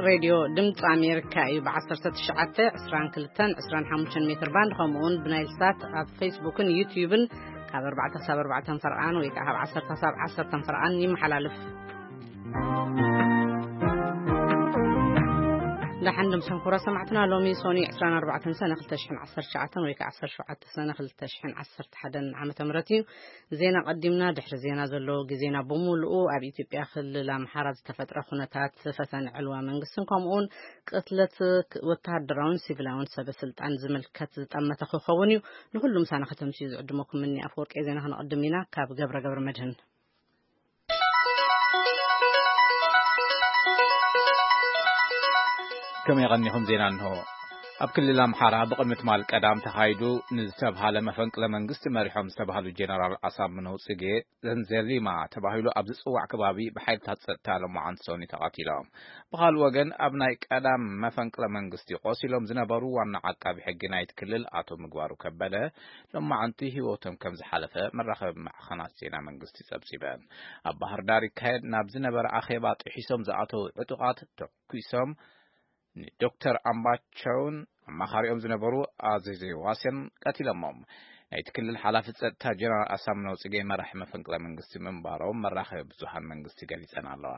ሬድዮ ድምፂ ኣሜሪካ እዩ። ብ19፣ 22፣ 25 ሜትር ባንድ፣ ከምኡውን ብናይል ሳት ኣብ ፌስቡክን ዩትዩብን ካብ ኣርባዕተ ክሳብ ኣርባዕተ ፈርቓን ወይ ከዓ ካብ ዓሰርተ ክሳብ ዓሰርተ ፈርቓን ይመሓላለፍ። ደሓን ድምፅን ኩራ ሰማዕትና። ሎሚ ሶኒ 24 ሰነ 2019 ወይ ከዓ 17 ሰነ 2011 ዓመተ ምህረት እዩ። ዜና ቀዲምና። ድሕሪ ዜና ዘሎ ግዜና ብምሉኡ ኣብ ኢትዮጵያ ክልል ኣምሓራ ዝተፈጥረ ኩነታት፣ ፈተነ ዕልዋ መንግስትን ከምኡውን ቅትለት ወተሃደራውን ሲቪላውን ሰበ ስልጣን ዝምልከት ዝጠመተ ክኸውን እዩ። ንኹሉ ምሳና ከተምስዩ ዝዕድመኩም እኒ ኣፈወርቂ ዜና። ክነቕድም ኢና ካብ ገብረ ገብረ መድህን። ከመይ ቀኒኹም? ዜና እንሆ። ኣብ ክልል ኣምሓራ ብቕድሚ ትማል ቀዳም ተኻይዱ ንዝተብሃለ መፈንቅለ መንግስቲ መሪሖም ዝተባህሉ ጀነራል ኣሳምነው ጽጌ ዘንዘሊማ ተባሂሉ ኣብ ዝጽዋዕ ከባቢ ብሓይልታት ጸጥታ ሎማዓንቲ ሰኒ ተቐቲሎም። ብኻልእ ወገን ኣብ ናይ ቀዳም መፈንቅለ መንግስቲ ቆሲሎም ዝነበሩ ዋና ዓቃቢ ሕጊ ናይቲ ክልል ኣቶ ምግባሩ ከበደ ሎማዓንቲ ህይወቶም ከም ዝሓለፈ መራኸቢ ማዕኸናት ዜና መንግስቲ ጸብጺበን። ኣብ ባህር ዳር ይካየድ ናብ ዝነበረ ኣኼባ ጥሒሶም ዝኣተዉ ዕጡቓት ተኩሶም ንዶክተር ኣምባቸውን ኣማኻሪኦም ዝነበሩ ኣዘዘ ዋሴን ቀቲሎሞም። ናይቲ ክልል ሓላፊ ጸጥታ ጀነራል ኣሳምነው ጽጌ መራሒ መፈንቅለ መንግስቲ ምንባሮም መራኸቢ ብዙሃን መንግስቲ ገሊጸን ኣለዋ።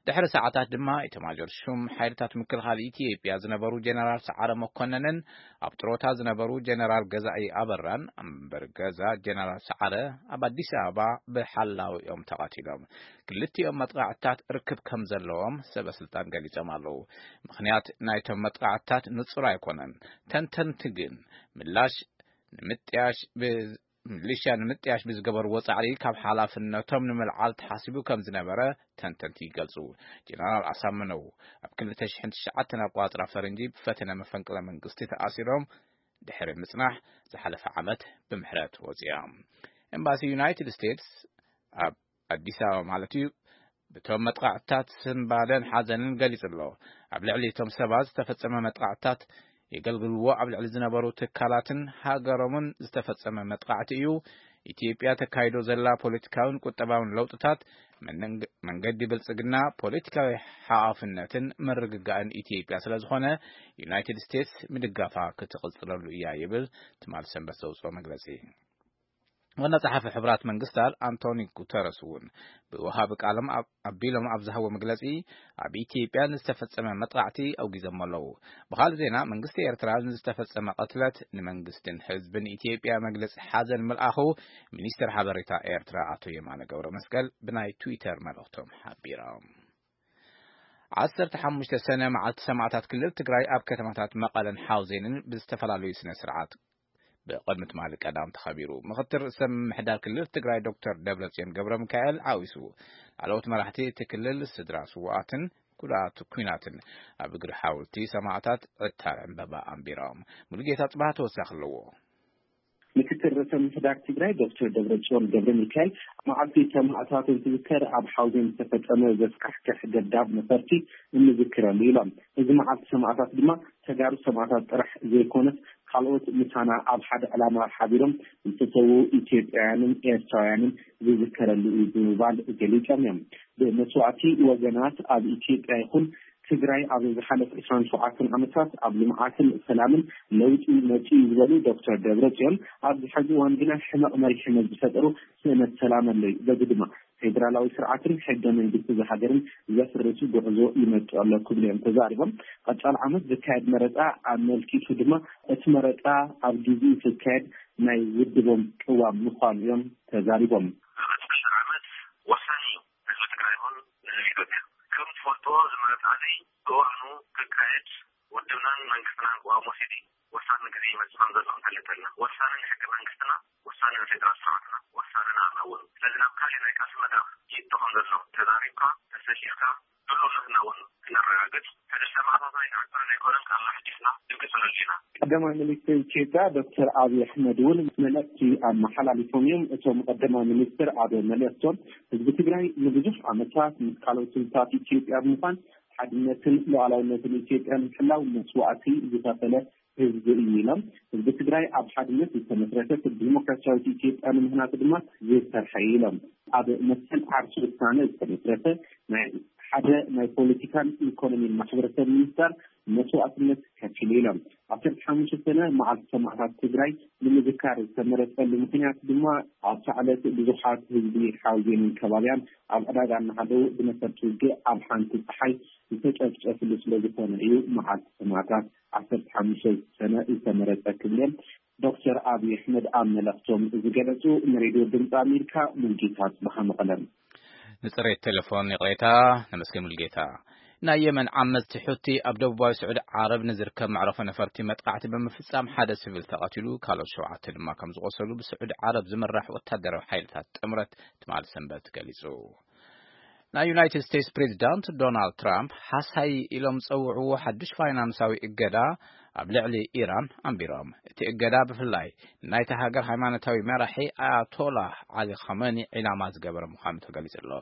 ድሕሪ ሰዓታት ድማ እቲ ማጆር ሹም ሓይልታት ምክልኻል ኢትዮጵያ ዝነበሩ ጀነራል ሰዓረ መኮነንን ኣብ ጥሮታ ዝነበሩ ጀነራል ገዛኢ ኣበራን፣ እምበር ገዛ ጀነራል ሰዓረ ኣብ ኣዲስ ኣበባ ብሓላው እዮም ተቐቲሎም። ክልቲኦም መጥቃዕትታት ርክብ ከም ዘለዎም ሰበ ስልጣን ገሊጾም ኣለዉ። ምኽንያት ናይቶም መጥቃዕትታት ንጹር ኣይኮነን። ተንተንቲ ግን ምላሽ ንምጥያሽ ብ-፣ ሚሊሽያ ንምጥያሽ ብዝገበርዎ ጻዕሪ ካብ ሓላፍነቶም ንምልዓል ተሓሲቡ ከም ዝነበረ ተንተንቲ ይገልጹ። ጀነራል ኣሳምነው ኣብ 2009 ኣቋጽራ ፈረንጂ ብፈተነ መፈንቅለ መንግስቲ ተኣሲሮም ድሕሪ ምጽናሕ ዝሓለፈ ዓመት ብምሕረት ወጺኦም። ኤምባሲ ዩናይትድ ስቴትስ ኣብ ኣዲስ ኣበባ ማለት እዩ ብቶም መጥቃዕትታት ስንባደን ሓዘንን ገሊጹ ኣሎ። ኣብ ልዕሊ እቶም ሰባት ዝተፈጸመ መጥቃዕትታት የገልግልዎ ኣብ ልዕሊ ዝነበሩ ትካላትን ሃገሮምን ዝተፈጸመ መጥቃዕቲ እዩ። ኢትዮጵያ ተካይዶ ዘላ ፖለቲካውን ቁጠባውን ለውጥታት መንንግ-፣ መንገዲ ብልጽግና፣ ፖለቲካዊ ሓዋፍነትን ምርግጋእን ኢትዮጵያ ስለ ዝኾነ ዩናይትድ ስቴትስ ምድጋፋ ክትቕጽለሉ እያ ይብል ትማል ሰንበት ዘውጽኦ መግለጺ። ዋና ጸሓፊ ሕቡራት መንግስታት ኣንቶኒ ጉተረስ እውን ብወሃቢ ቃሎም ኣብ-፣ ኣቢሎም ኣብ ዝሃቦ መግለጺ ኣብ ኢትዮጵያ ንዝተፈጸመ መጥቃዕቲ ኣውጊዞም ኣለዉ። ብኻልእ ዜና መንግስቲ ኤርትራ ንዝተፈጸመ ቅትለት ንመንግስትን ህዝብን ኢትዮጵያ መግለጺ ሓዘን ምልኣኹ ሚኒስትር ሓበሬታ ኤርትራ ኣቶ የማነ ገብረ መስቀል ብናይ ትዊተር መልእኽቶም ሓቢሮም። 15 ሰነ መዓልቲ ሰማዕታት ክልል ትግራይ ኣብ ከተማታት መቐለን ሓውዜንን ብዝተፈላለዩ ስነ ስርዓት ብቕድሚ ትማሊ ቀዳም ተኸቢሩ። ምኽትል ርእሰ ምምሕዳር ክልል ትግራይ ዶክተር ደብረጽዮን ገብረ ሚካኤል ዓዊሱ፣ ላዕለዎት መራሕቲ እቲ ክልል ስድራ ስውኣትን ጉዳት ኩናትን ኣብ እግሪ ሓወልቲ ሰማዕታት ዕታር ዕምበባ ኣንቢሮም። ሙሉጌታ ጽባህ ተወሳኺ ኣለዎ። ምክትል ርእሰ ምምሕዳር ትግራይ ዶክተር ደብረጽዮን ገብረ ሚካኤል፣ መዓልቲ ሰማዕታት እንትዝከር ኣብ ሓውዜን ዝተፈጸመ ዘስካሕክሕ ደብዳብ ነፈርቲ እንዝክረሉ ኢሎም። እዚ መዓልቲ ሰማዕታት ድማ ተጋሩ ሰማዕታት ጥራሕ ዘይኮነስ ካልኦት ምሳና ኣብ ሓደ ዕላማ ሓቢሮም ዝተሰዉ ኢትዮጵያውያንን ኤርትራውያንን ዝዝከረሉ እዩ ብምባል ገሊጾም እዮም። ብመስዋእቲ ወገናት ኣብ ኢትዮጵያ ይኹን ትግራይ ኣብ ዝሓለፈ 27 ዓመታት ኣብ ልምዓትን ሰላምን ለውጢ መፂኡ ዝበሉ ዶክተር ደብረጽዮን፣ ኣብዚ ሕዚ እዋን ግና ሕመቕ መሪሕነት ዝፈጠሩ ስእነት ሰላም ኣሎ እዩ። በዚ ድማ ፌዴራላዊ ስርዓትን ሕገ መንግስቲ እዛ ሃገርን ዘፍርስ ጉዕዞ ይመጽእ ኣሎ ክብሉ እዮም ተዛሪቦም። ቀጻሊ ዓመት ዝካየድ መረፃ ኣመልኪቱ ድማ እቲ መረፃ ኣብ ግዜኡ ክካየድ ናይ ውድቦም ቅዋም ምዃኑ እዮም ተዛሪቦም። ዓመት ወሳኒ እዩ። ህዝቢ ትግራይ ይኹን ንህዝቢ ኢትዮጵያ። ከም ትፈልጥዎ እዚ መረፃ እዚ ብእዋኑ ክካየድ ውድብናን መንግስትናን ቅዋም ወሲዱ ወሳኒ ግዜ ይመፅእ ከም ዘሎ ክንፈልጥ ኣለና። ወሳኒ ንሕገ መንግስትና፣ ወሳኒ ንፌደራል ስርዓትና፣ ወሳኒ ንኣና እውን። ስለዚ ናብ ካሊእ ናይ ቃልሲ መድረኽ ይእቶ ከም ዘሎ ተዛሪብካ፣ ተሰሊፍካ፣ ድሉውነትና እውን ክነረጋግጽ፣ ሕድሪ ሰማእታትና ኣይንዕቅርን ኣይኮነን፣ ቃልና ኣሕዲስና ክንቅጽለሉ ኢና። ቀዳማይ ሚኒስትር ኢትዮጵያ ዶክተር ኣብይ ኣሕመድ እውን መልእኽቲ ኣመሓላሊፎም እዮም። እቶም ቀዳማይ ሚኒስትር ኣብ መልእኽቶም፣ ህዝቢ ትግራይ ንብዙሕ ዓመታት ምስ ካልኦት ህዝብታት ኢትዮጵያ ብምዃን ሓድነትን ሉዓላውነትን ኢትዮጵያ ንምሕላው መስዋእቲ ዝኸፈለ ህዝቢ እዩ ኢሎም። ህዝቢ ትግራይ ኣብ ሓድነት ዝተመስረተት ዲሞክራሲያዊት ኢትዮጵያ ንምህናጽ ድማ ዝሰርሐ እዩ ኢሎም። ኣብ መሰል ዓርሱ ውሳነ ዝተመስረተ ናይ ሓደ ናይ ፖለቲካን ኢኮኖሚን ማሕበረሰብ ሚኒስተር መስዋእትነት ከፊሉ ኢሎም። ዓሰርተ ሓሙሽተ ሰነ መዓልቲ ሰማእታት ትግራይ ንምዝካር ዝተመረፀሉ ምክንያት ድማ ኣብታ ዕለት ብዙሓት ህዝቢ ሓውዜንን ከባቢያን ኣብ ዕዳጋ እናሃለዉ ብነፈርቲ ውግእ ኣብ ሓንቲ ፀሓይ ዝተጨፍጨፍሉ ስለ ዝኾነ እዩ። መዓልቲ ሰማእታት ዓሰርተ ሓሙሽተ ሰነ ዝተመረፀ ክብሎም ዶክተር ኣብይ ኣሕመድ ኣብ መልእኽቶም ዝገለፁ። ንሬድዮ ድምፂ ኣሜሪካ ሙልጌታ ጽባሓ መቐለም። ንጽሬት ቴሌፎን ይቕሬታ። ነመስገን ሙልጌታ። ናይ የመን ዓመፅቲ ሑቲ ኣብ ደቡባዊ ስዑዲ ዓረብ ንዝርከብ መዕረፎ ነፈርቲ መጥቃዕቲ ብምፍጻም ሓደ ሲቪል ተቐቲሉ፣ ካልኦት ሸውዓተ ድማ ከም ዝቖሰሉ ብስዑዲ ዓረብ ዝምራሕ ወታደራዊ ሓይልታት ጥምረት ትማሊ ሰንበት ገሊጹ። ናይ ዩናይትድ ስቴትስ ፕሬዚዳንት ዶናልድ ትራምፕ ሓሳይ ኢሎም ዝጸውዕዎ ሓዱሽ ፋይናንሳዊ እገዳ ኣብ ልዕሊ ኢራን ኣንቢሮም። እቲ እገዳ ብፍላይ ናይታ ሃገር ሃይማኖታዊ መራሒ ኣያቶላህ ዓሊ ኻመኒ ዒላማ ዝገበረ ምዃኑ ተገሊጹ ኣሎ።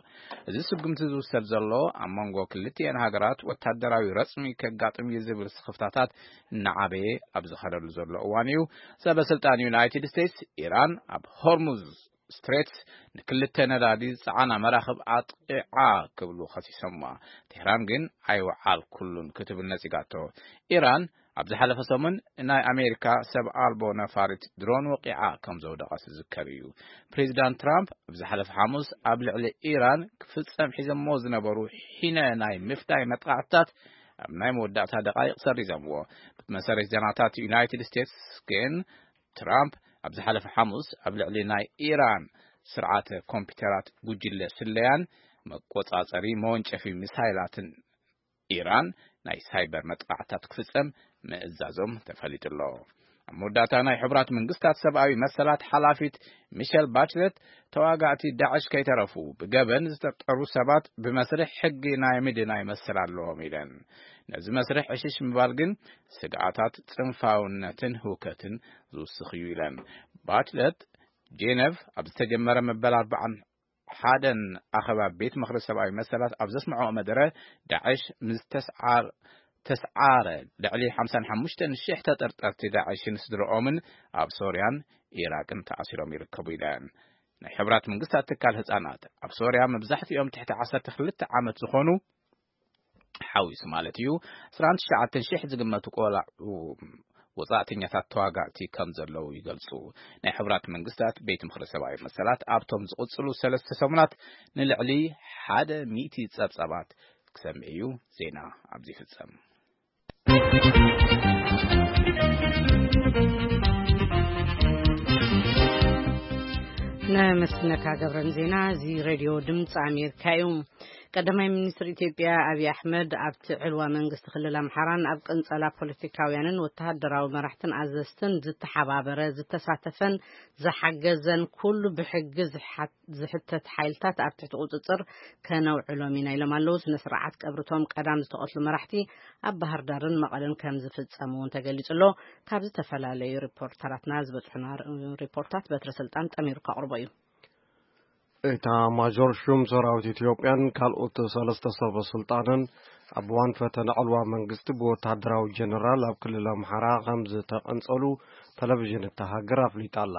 እዚ ስጉምቲ ዝውሰድ ዘሎ ኣብ መንጎ ክልቲኤን ሃገራት ወታደራዊ ረጽሚ ከጋጥም እዩ ዝብል ስኽፍታታት እናዓበየ ኣብ ዝኸደሉ ዘሎ እዋን እዩ። ሰበ ስልጣን ዩናይትድ ስቴትስ፣ ኢራን ኣብ ሆርሙዝ ስትሬትስ ንክልተ ነዳዲ ዝጸዓና መራኽብ ኣጥቂዓ ክብሉ ከሲሶማ። ቴህራን ግን ኣይወዓልኩሉን ክትብል ነጺጋቶ። ኢራን ኣብ ዝሓለፈ ሰሙን ናይ ኣሜሪካ ሰብ ኣልቦ ነፋሪት ድሮን ወቂዓ ከም ዘውደቐት ዝዝከር እዩ። ፕሬዚዳንት ትራምፕ ኣብ ዝሓለፈ ሓሙስ ኣብ ልዕሊ ኢራን ክፍጸም ሒዘሞ ዝነበሩ ሒነ ናይ ምፍዳይ መጥቃዕትታት ኣብ ናይ መወዳእታ ደቃይቕ ሰሪዞምዎ። ብመሰረት ዜናታት ዩናይትድ ስቴትስ ግን ትራምፕ ኣብ ዝሓለፈ ሓሙስ ኣብ ልዕሊ ናይ ኢራን ስርዓተ ኮምፒውተራት ጉጅለ ስለያን መቆጻጸሪ መወንጨፊ ሚሳይላትን ኢራን ናይ ሳይበር መጥቃዕትታት ክፍጸም ምእዛዞም ተፈሊጡ ኣሎ። ኣብ መወዳእታ ናይ ሕቡራት መንግስታት ሰብኣዊ መሰላት ሓላፊት ሚሸል ባችለት ተዋጋእቲ ዳዕሽ ከይተረፉ ብገበን ዝጠርጠሩ ሰባት ብመስርሕ ሕጊ ናይ ምድናይ መሰል ኣለዎም ኢለን። ነዚ መስርሕ ዕሽሽ ምባል ግን ስግኣታት ጽንፋውነትን ህውከትን ዝውስኽ እዩ ኢለን። ባችለት ጄነቭ ኣብ ዝተጀመረ መበል ኣርባዓን ሓደን ኣኸባ ቤት ምኽሪ ሰብኣዊ መሰላት ኣብ ዘስምዖ መደረ ዳዕሽ ምስ ተስዓር ተስዓረ ልዕሊ ሓምሳን ሓሙሽተን ሽሕ ተጠርጠርቲ ዳዕሽን ስድረኦምን ኣብ ሶርያን ኢራቅን ተኣሲሮም ይርከቡ ኢለን። ናይ ሕብራት መንግስታት ትካል ህጻናት ኣብ ሶርያ መብዛሕትኦም ትሕቲ ዓሰርተ ክልተ ዓመት ዝኾኑ ሓዊሱ ማለት እዩ፣ ዕስራን ትሽዓተን ሽሕ ዝግመቱ ቆላዑ ወጻእተኛታት ተዋጋእቲ ከም ዘለዉ ይገልጹ። ናይ ሕብራት መንግስታት ቤት ምኽሪ ሰብኣዊ መሰላት ኣብቶም ዝቕጽሉ ሰለስተ ሰሙናት ንልዕሊ ሓደ ሚእቲ ጸብጻባት ክሰምዕ እዩ። ዜና ኣብዚ ይፍጸም። ነመስግነካ ገብረን ዜና። እዚ ሬድዮ ድምፂ ኣሜሪካ እዩ። ቀዳማይ ሚኒስትር ኢትዮጵያ ኣብይ ኣሕመድ ኣብቲ ዕልዋ መንግስቲ ክልል ኣምሓራን ኣብ ቅንጸላ ፖለቲካውያንን ወተሃደራዊ መራሕትን ኣዘዝትን ዝተሓባበረ፣ ዝተሳተፈን ዝሓገዘን ኩሉ ብሕጊ ዝሓ- ዝሕተት ሓይልታት ኣብ ትሕቲ ቁጽጽር ከነውዕሎም ኢና ኢሎም ኣለዉ። ስነ ስርዓት ቀብርቶም ቀዳም ዝተቐትሉ መራሕቲ ኣብ ባህር ዳርን መቐለን ከም ዝፍጸም እውን ተገሊጹ ኣሎ። ካብ ዝተፈላለዩ ሪፖርተራትና ዝበጽሑና ር- ሪፖርታት በትረ ስልጣን ጠሚሩ ከቕርቦ እዩ። ኤታ ማጆር ሹም ሰራዊት ኢትዮጵያን ካልኦት ሰለስተ ሰበ ስልጣንን ኣብ እዋን ፈተነ ዕልዋ መንግስቲ ብወታደራዊ ጀነራል ኣብ ክልል ኣምሓራ ከም ዝተቐንጸሉ ቴሌቪዥን እታ ሃገር ኣፍሊጣ ኣላ።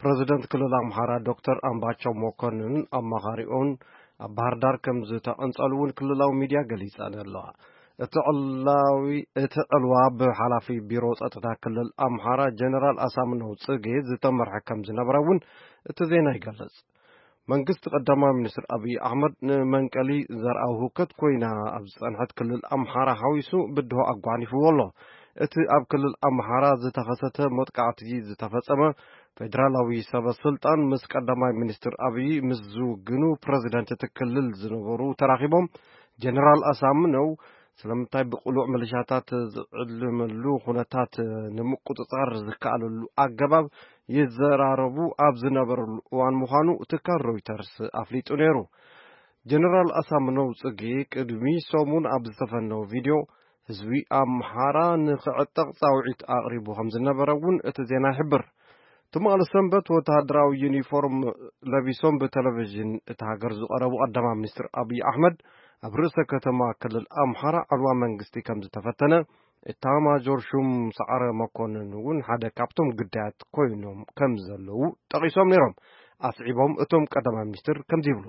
ፕረዚደንት ክልል ኣምሓራ ዶክተር ኣምባቸው መኮንን ኣማኻሪኦን ኣብ ባህር ዳር ከም ዝተቐንጸሉ እውን ክልላዊ ሚድያ ገሊጸን ኣለዋ። እቲ ዕላዊ-፣ እቲ ዕልዋ ብሓላፊ ቢሮ ጸጥታ ክልል ኣምሓራ ጀነራል ኣሳምነው ጽጌ ዝተመርሐ ከም ዝነበረ እውን እቲ ዜና ይገልጽ። መንግስቲ ቀዳማይ ሚኒስትር ኣብይ ኣሕመድ ንመንቀሊ ዘርኣዊ ህውከት ኮይና ኣብ ዝጸንሐት ክልል ኣምሓራ ሓዊሱ ብድሆ ኣጓኒፍዎ ኣሎ። እቲ ኣብ ክልል ኣምሓራ ዝተኸሰተ መጥቃዕቲ ዝተፈጸመ ፌደራላዊ ሰበ ስልጣን ምስ ቀዳማይ ሚኒስትር ኣብይ ምስ ዝውግኑ ፕረዚደንት እቲ ክልል ዝነበሩ ተራኺቦም ጀነራል ኣሳምነው ስለምንታይ ብቅሉዕ ሚሊሻታት ዝዕልመሉ ኩነታት ንምቁጽጻር ዝከኣለሉ ኣገባብ ይዘራረቡ ኣብ ዝነበረሉ እዋን ምዃኑ ትካል ሮይተርስ ኣፍሊጡ ነይሩ። ጀነራል ኣሳምነው ጽጌ ቅድሚ ሰሙን ኣብ ዝተፈነወ ቪድዮ ህዝቢ ኣምሓራ ንኽዕጠቕ ጻውዒት ኣቕሪቡ ከም ዝነበረ እውን እቲ ዜና ይሕብር። ትማሊ ሰንበት ወተሃደራዊ ዩኒፎርም ለቢሶም ብቴሌቪዥን እታ ሃገር ዝቐረቡ ቀዳማይ ሚኒስትር ኣብይ ኣሕመድ ኣብ ርእሰ ከተማ ክልል ኣምሓራ ዕልዋ መንግስቲ ከም ዝተፈተነ፣ ኤታማዦር ሹም ሰዓረ መኮንን እውን ሓደ ካብቶም ግዳያት ኮይኖም ከም ዘለዉ ጠቒሶም ነይሮም። ኣስዒቦም እቶም ቀዳማይ ሚኒስትር ከምዚ ይብሉ።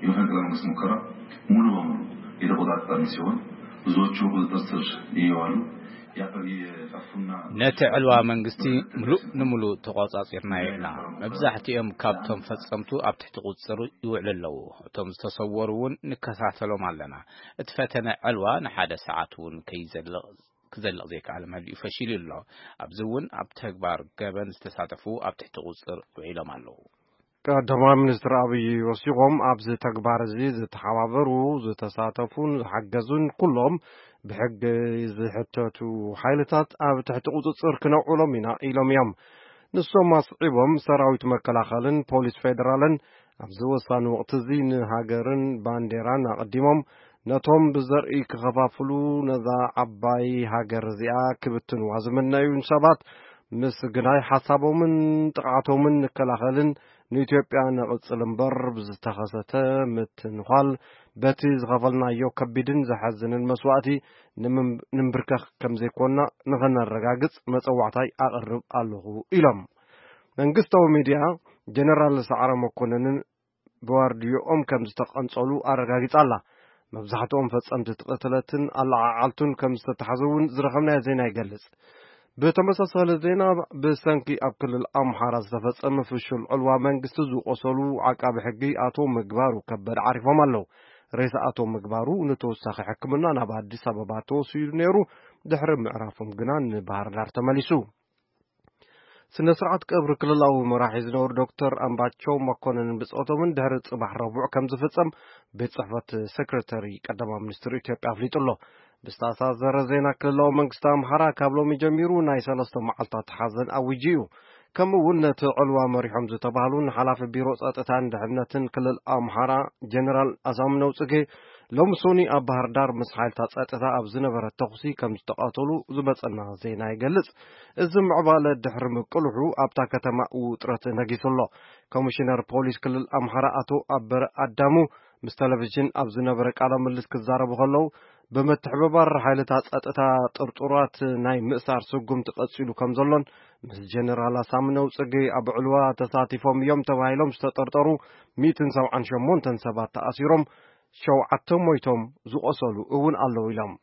የመፈንቅለ መንግስት ሙከራ ሙሉ በሙሉ የተቆጣጠርን ሲሆን ብዙዎቹ ቁጥጥር ስር እየዋሉ የአካባቢ የጠፉና ነቲ ዕልዋ መንግስቲ ምሉእ ንምሉእ ተቖጻጺርናዮ ኢና። መብዛሕትኦም ካብቶም ፈጸምቱ ኣብ ትሕቲ ቁጽጽር ይውዕሉ ኣለዉ። እቶም ዝተሰወሩ እውን ንከታተሎም ኣለና። እቲ ፈተነ ዕልዋ ንሓደ ሰዓት እውን ከይዘልቕ ክዘልቕ ዘይከኣለ መሊኡ ፈሺሉ ኣሎ። ኣብዚ እውን ኣብ ተግባር ገበን ዝተሳተፉ ኣብ ትሕቲ ቁጽጽር ውዒሎም ኣለዉ። ቀዳማይ ሚኒስትር ኣብይ ወሲኾም፣ ኣብዚ ተግባር እዚ ዝተሓባበሩ፣ ዝተሳተፉን ዝሓገዙን ኩሎም ብሕጊ ዝሕተቱ ሓይልታት ኣብ ትሕቲ ቁጽጽር ክነውዕሎም ኢና ኢሎም እዮም። ንሶም ኣስዒቦም፣ ሰራዊት መከላኸልን ፖሊስ ፌደራልን ኣብዚ ወሳኒ ወቕቲ እዚ ንሃገርን ባንዴራን ኣቐዲሞም ነቶም ብዘርኢ ክኸፋፍሉ፣ ነዛ ዓባይ ሃገር እዚኣ ክብትንዋ ዝምነዩን ሰባት ምስ ግናይ ሓሳቦምን ጥቕዓቶምን ንከላኸልን ንኢትዮጵያ ነቕጽል እምበር ብዝተኸሰተ ምትንዃል በቲ ዝኸፈልናዮ ከቢድን ዘሐዝንን መስዋእቲ ንምም-፣ ንምብርከኽ ከም ዘይኮንና ንኸነረጋግጽ መጸዋዕታይ ኣቕርብ ኣለኹ ኢሎም። መንግስታዊ ሚድያ ጀነራል ሰዓረ መኮነንን ብዋርድዮኦም ከም ዝተቐንጸሉ ኣረጋጊጻ ኣላ። መብዛሕትኦም ፈጸምቲ እቲ ቅትለትን ኣለዓዓልቱን ከም ዝተታሕዙ እውን ዝረኸብናዮ ዜና ይገልጽ። ብተመሳሳሊ ዜና፣ ብሰንኪ ኣብ ክልል ኣምሓራ ዝተፈጸመ ፍሹል ዕልዋ መንግስቲ ዝቆሰሉ ዓቃቢ ሕጊ ኣቶ ምግባሩ ከበደ ዓሪፎም ኣለዉ። ሬሳ ኣቶ ምግባሩ ንተወሳኺ ሕክምና ናብ ኣዲስ ኣበባ ተወሲዱ ነይሩ። ድሕሪ ምዕራፎም ግና ንባህር ዳር ተመሊሱ። ስነ ስርዓት ቀብሪ ክልላዊ መራሒ ዝነበሩ ዶክተር ኣምባቸው መኮንን ብጾቶምን ድሕሪ ጽባሕ ረቡዕ ከም ዝፍጸም ቤት ጽሕፈት ሴክሬታሪ ቀዳማይ ሚኒስትር ኢትዮጵያ ኣፍሊጡ ኣሎ። ብዝተኣሳሰረ ዜና፣ ክልላዊ መንግስቲ ኣምሓራ ካብ ሎሚ ጀሚሩ ናይ ሰለስተ መዓልታት ሓዘን ኣዊጁ እዩ። ከምኡ እውን ነቲ ዕልዋ መሪሖም ዝተባህሉ ንሓላፊ ቢሮ ጸጥታን ድሕነትን ክልል ኣምሓራ ጀነራል ኣሳምነው ጽጌ ሎሚ ሶኒ ኣብ ባህር ዳር ምስ ሓይልታት ጸጥታ ኣብ ዝነበረ ተኹሲ ከም ዝተቐተሉ ዝመጸና ዜና ይገልጽ። እዚ ምዕባለ ድሕሪ ምቅልሑ ኣብታ ከተማ ውጥረት ነጊሱ ኣሎ። ኮሚሽነር ፖሊስ ክልል ኣምሓራ ኣቶ ኣበረ ኣዳሙ ምስ ቴሌቪዥን ኣብ ዝነበረ ቃለ ምልልስ ክዛረቡ ከለዉ፣ ብምትሕብባር ሓይልታት ጸጥታ ጥርጡራት ናይ ምእሳር ስጉምቲ ቀጺሉ ከም ዘሎን ምስ ጀነራል ኣሳምነው ጽጌ ኣብ ዕልዋ ተሳቲፎም እዮም ተባሂሎም ዝተጠርጠሩ ሚእትን ሰብዓን ሸሞንተን ሰባት ተኣሲሮም፣ ሸውዓተ ሞይቶም፣ ዝቆሰሉ እውን ኣለዉ ኢሎም።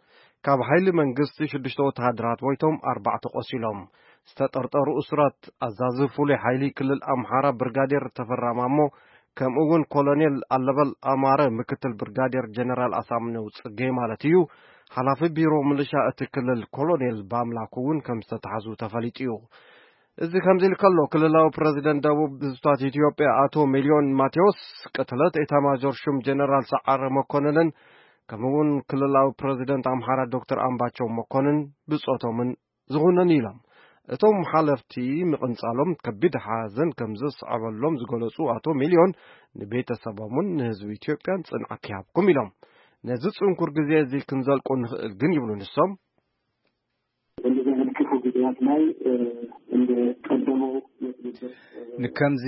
ካብ ሓይሊ መንግስቲ ሽዱሽተ ወተሃደራት ሞይቶም፣ ኣርባዕተ ቆሲሎም። ዝተጠርጠሩ እሱራት ኣዛዚ ፍሉይ ሓይሊ ክልል ኣምሓራ ብርጋዴር ተፈራ ማሞ፣ ከምኡ እውን ኮሎኔል ኣለበል ኣማረ፣ ምክትል ብርጋዴር ጀነራል ኣሳምነው ጽጌ ማለት እዩ፣ ሓላፊ ቢሮ ምልሻ እቲ ክልል ኮሎኔል ባምላክ እውን ከም ዝተታሕዙ ተፈሊጡ እዩ። እዚ ከምዚ ኢሉ ከሎ፣ ክልላዊ ፕረዚደንት ደቡብ ህዝብታት ኢትዮጵያ ኣቶ ሚልዮን ማቴዎስ፣ ቅትለት ኤታማዦር ሹም ጀነራል ሰዓረ መኮንንን ከምኡ እውን ክልላዊ ፕረዚደንት ኣምሓራ ዶክተር ኣምባቸው መኮንን ብጾቶምን ዝኹነን ኢሎም። እቶም ሓለፍቲ ምቕንጻሎም ከቢድ ሓዘን ከም ዘስዓበሎም ዝገለጹ ኣቶ ሚልዮን፣ ንቤተሰቦምን ንህዝቢ ኢትዮጵያን ጽንዓት ይሃብኩም ኢሎም። ነዚ ጽንኩር ግዜ እዚ ክንዘልቆ ንኽእል ግን ይብሉ ንሶም። እንደዚህ አይነት ክፉ ጊዜያት ላይ፣ እ፣ እንደ ቀደመው የትብብር፣ እ፣ ንከምዚ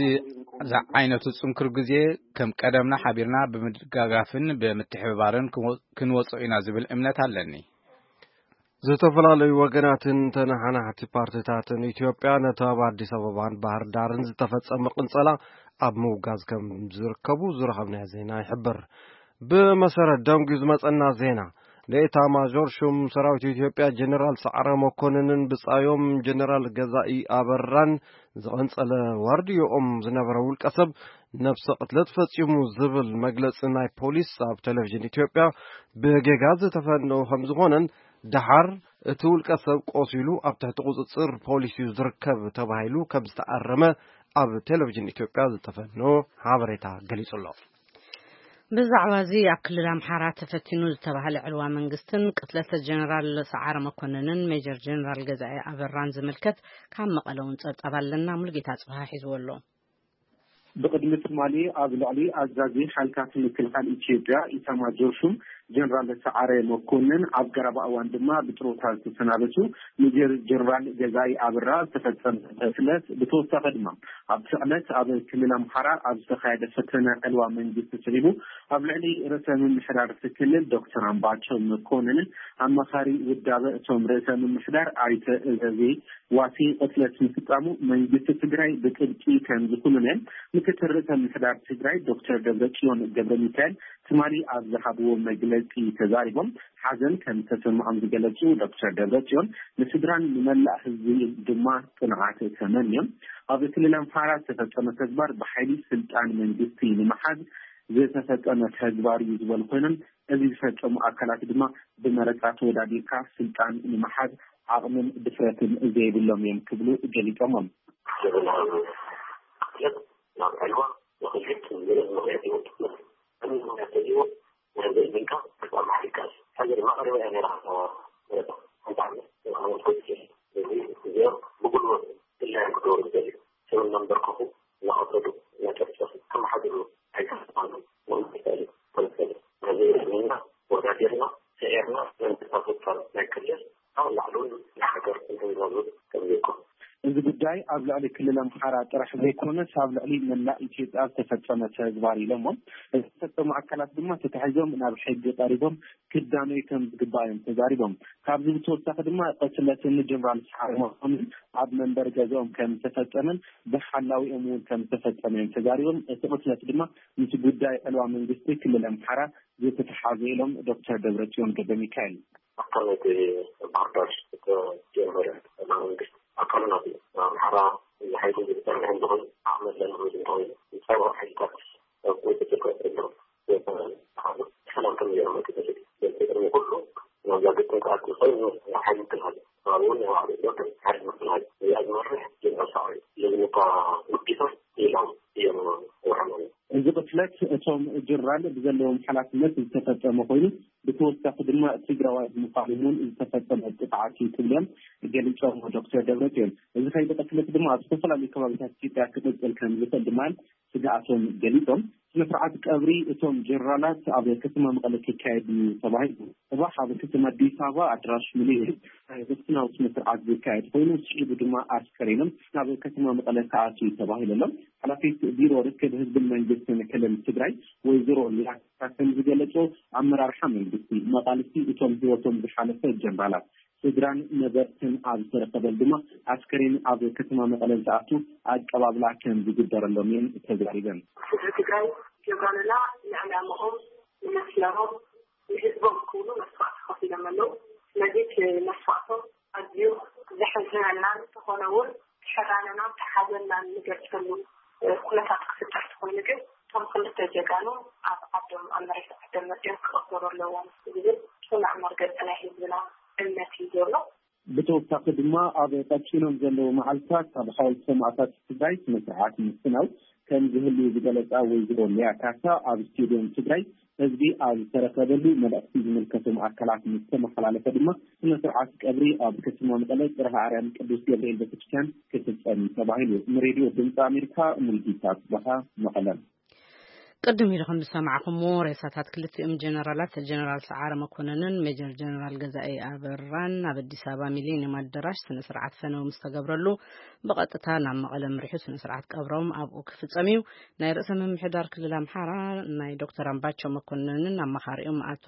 ዝዓይነቱ ጽንኩር ግዜ ከም ቀደምና ሓቢርና ብምድጋጋፍን ብምትሕብባርን ክንወ-፣ ክንወጾ ኢና ዝብል እምነት ኣለኒ። ዝተፈላለዩ ወገናትን ተነሓናሕቲ ፓርቲታትን ኢትዮጵያ ነቲ ኣብ ኣዲስ ኣበባን ባህር ዳርን ዝተፈጸመ ቅንጸላ ኣብ ምውጋዝ ከም ዝርከቡ ዝረኸብናዮ ዜና ይሕብር። ብመሰረት ደንጉዩ ዝመጸና ዜና፣ ንኤታ ማዦር ሹም ሰራዊት ኢትዮጵያ ጀነራል ሰዓረ መኮንንን ብጻዮም ጀነራል ገዛኢ ኣበራን ዝቐንጸለ ዋርድዮኦም ዝነበረ ውልቀ ሰብ ነብሰ ቅትለት ፈጺሙ ዝብል መግለጺ ናይ ፖሊስ ኣብ ቴሌቪዥን ኢትዮጵያ ብጌጋ ዝተፈነወ ከም ዝኾነን፣ ደሓር እቲ ውልቀ ሰብ ቆሲሉ ኣብ ትሕቲ ቁጽጽር ፖሊስ እዩ ዝርከብ ተባሂሉ ከም ዝተኣረመ ኣብ ቴሌቪዥን ኢትዮጵያ ዝተፈነወ ሓበሬታ ገሊጹ ኣሎ። ብዛዕባ እዚ ኣብ ክልል ኣምሓራ ተፈቲኑ ዝተባህለ ዕልዋ መንግስትን ቅትለት ጀነራል ሰዓረ መኮንንን ሜጀር ጀነራል ገዛኢ ኣበራን ዝምልከት ካብ መቐለ እውን ጸብጻብ ኣለና። ሙሉጌታ ጽብሃ ሒዝዎ ኣሎ። ብቕድሚ ትማሊ ኣብ ልዕሊ ኣዛዚ ሓይልታት ምክልኻል ኢትዮጵያ ኢታማጆር ሹም ጀነራል ሰዓረ መኮንን፣ ኣብ ቀረባ እዋን ድማ ብጥሮታ ዝተሰናበቱ ሜጀር ጀነራል ገዛኢ ኣበራ ዝተፈጸመ ቅትለት፣ ብተወሳኺ ድማ ኣብቲ ዕለት ኣብ ክልል ኣምሓራ ኣብ ዝተኻየደ ፈተነ ዕልዋ መንግስቲ ስዒቡ ኣብ ልዕሊ ርእሰ ምምሕዳር እቲ ክልል ዶክተር ኣምባቸው መኮንንን ኣማኻሪ ውዳበ እቶም ርእሰ ምምሕዳር ኣይተ እዘዜ ዋሲ ቅትለት ምፍጻሙ መንግስቲ ትግራይ ብጥብቂ ከም ዝኹንነ ምክትል ርእሰ ምምሕዳር ትግራይ ዶክተር ደብረጽዮን ገብረ ሚካኤል ትማሊ ኣብ ዝሃብዎ መግለጺ ተዛሪቦም። ሓዘን ከም ዝተሰምዖም ዝገለጹ ዶክተር ደብረጽዮን ንስድራን ንመላእ ህዝቢ ድማ ጽንዓት ተመንዮም። ኣብ ክልል ኣምሓራ ዝተፈጸመ ተግባር ብሓይሊ ስልጣን መንግስቲ ንምሓዝ ዝተፈጸመ ተግባር እዩ ዝበሉ ኮይኖም፣ እዚ ዝፈጸሙ ኣካላት ድማ ብመረጻ ተወዳዲርካ ስልጣን ንምሓዝ ዓቕምን ድፍረትን ዘይብሎም እዮም ክብሉ ገሊጾሞም። እዚ ጉዳይ ኣብ ልዕሊ ክልል ኣምሓራ ጥራሕ ዘይኮነስ ኣብ ልዕሊ መላእ ኢትዮጵያ ዝተፈጸመ ተግባር ኢሎሞ። ዝተፈጸሙ ኣካላት ድማ ተታሒዞም ናብ ሕጊ ቀሪቦም ክዳነዩ ከም ዝግባእ እዮም ተዛሪቦም። ካብዚ ብተወሳኺ ድማ ቅትለት ንጀነራል ሰዓረ መኮንን ኣብ መንበሪ ገዛኦም ከም ዝተፈጸመን ብሓላዊኦም እውን ከም ዝተፈጸመ እዮም ተዛሪቦም። እቲ ቅትለት ድማ ምስ ጉዳይ ዕልዋ መንግስቲ ክልል ኣምሓራ ዝተተሓዘ ኢሎም ዶክተር ደብረጽዮን ገብረ ሚካኤል። ኣካል ናይቲ ባህር ዳር ዝተጀመረ መንግስቲ ኣካሉ ናት ኣምሓራ ሓይሉ ዝፀንሕ እንተኾይኑ ዓቕሚ ኣለና ዝብል እንተኾይኑ ዝፀንሑ ሓይልታት ኣብ ቁፅፅር ክወፅእ ኣለዎ። ሰላም ከም ዘይመጡ ተሰዲ ዘንትቅድሚ ኩሉ ናብዛ ግጥም ክኣቱ ዝኽእል ሓይሊ ምክልኻል ከባቢ እውን ናይ ባዕሉ ዶክተር ሓይሊ ምክልኻል እዚኣ ዝመርሕ ጀነራል ሳዕሪ ለዝምታ ውዲቶም ኢሎም እዮም ወርሖም። እዚ ቅትለት እቶም ጀነራል ብዘለዎም ሓላፍነት ዝተፈጸመ ኮይኑ ብተወሳኺ ድማ ትግራዋይ ብምዃኑ እውን ዝተፈጸመ ጥፍዓት እዩ ክብሎም ገሊጾም ዶክተር ደብረጽዮን። እዚ ከይዲ ቅትለት ድማ ኣብ ዝተፈላለዩ ከባቢታት ኢትዮጵያ ክቅጽል ከም ዝኽእል ድማ ስግኣቶም ገሊጾም። ስነ ስርዓት ቀብሪ እቶም ጀነራላት ኣብ ከተማ መቐለ ክካየድ እዩ ተባሂሉ። ጽባሕ ኣብ ከተማ ኣዲስ ኣበባ ኣድራሽ ሚሊኒየም ናይ ዘፍትናዊ ስነ ስርዓት ዝካየድ ኮይኑ ስዒቡ ድማ ኣስከሬኖም ናብ ከተማ መቐለ ክኣቱ እዩ ተባሂሉ ኣሎ። ሓላፊት ቢሮ ርክብ ህዝብን መንግስትን ክልል ትግራይ ወይዘሮ ሊያ ከም ዝገለጾ ኣመራርሓ መንግስቲ መቓልስቲ እቶም ህይወቶም ዝሓለፈ ጀነራላት ስድራን ነበርትን ኣብ ዝተረከበሉ ድማ ኣስከሬን ኣብ ከተማ መቐለ ዝኣቱ ኣቀባብላ ከም ዝግበረሎም እየን ተዛሪበን። ህዝቢ ትግራይ ጀጋኑና ንዕላምኦም ንመስመሮም ንህዝቦም ክብሉ መስዋእቲ ከፊሎም ኣለዉ። ስለዚ እቲ መስዋእቶም ኣዝዩ ዘሕዝነና እንተኾነ እውን ሕራነናን ተሓዘናን ንገልፀሉ ኩነታት ክፍጠር ተኾይኑ ግን እቶም ክልተ ጀጋኑ ኣብ ዓዶም ኣብ መሬት ዓዶም መፅዮም ክቕበሩ ኣለዎም ዝብል ፅኑዕ መርገፂ ናይ ህዝብና እምነት እዩ ዘሎ። ብተወሳኺ ድማ ኣብ ቀፂሎም ዘለዉ መዓልታት ኣብ ሓወልቲ ሰማእታት ትግራይ ስነ ስርዓት ምፍናው ከም ዝህሉ ዝገለፃ ወይዘሮ ሊያ ካሳ ኣብ ስቴድዮም ትግራይ ህዝቢ ኣብ ዝተረከበሉ መልእኽቲ ዝምልከቶም ኣካላት ምስ ተመሓላለፈ ድማ ስነ ስርዓት ቀብሪ ኣብ ከተማ መቐለ ፅርሃ ኣርያም ቅዱስ ገብርኤል ቤተክርስትያን ክፍፀም ተባሂሉ። ንሬድዮ ድምፂ ኣሜሪካ ሙልጌታ ጽባሃ መቐለ። ቅድም ኢልኩም ዝሰማዕኹምዎ ሬሳታት ክልቲኦም ጀነራላት ጀነራል ሰዓረ መኮነንን ሜጀር ጀነራል ገዛኢ ኣበራን ኣብ ኣዲስ ኣበባ ሚሊኒየም ኣዳራሽ ስነ ስርዓት ፈነው ምስ ተገብረሉ ብቐጥታ ናብ መቐለ ምሪሑ ስነ ስርዓት ቀብሮም ኣብኡ ክፍጸም እዩ። ናይ ርእሰ ምምሕዳር ክልል ኣምሓራ ናይ ዶክተር ኣምባቸው መኮነንን ኣማኻሪኦም ኣቶ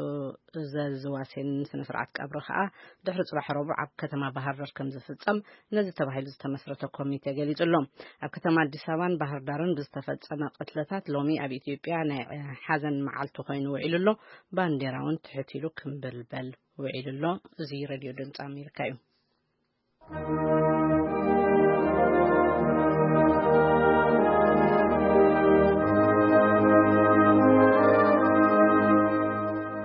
እዘዝ ዋሴንን ስነ ስርዓት ቀብሪ ከኣ ድሕሪ ጽባሕ ረቡዕ ኣብ ከተማ ባህር ዳር ከም ዝፍጸም ነዚ ተባሂሉ ዝተመስረተ ኮሚቴ ገሊጹ ኣሎ። ኣብ ከተማ ኣዲስ ኣበባን ባህር ዳርን ብዝተፈጸመ ቅትለታት ሎሚ ኣብ ኢትዮጵያ ናይ ሓዘን መዓልቲ ኮይኑ ውዒሉ ኣሎ። ባንዴራ እውን ትሕት ኢሉ ክምብልበል ውዒሉ ኣሎ። እዚ ሬድዮ ድምፂ ኣሜሪካ እዩ።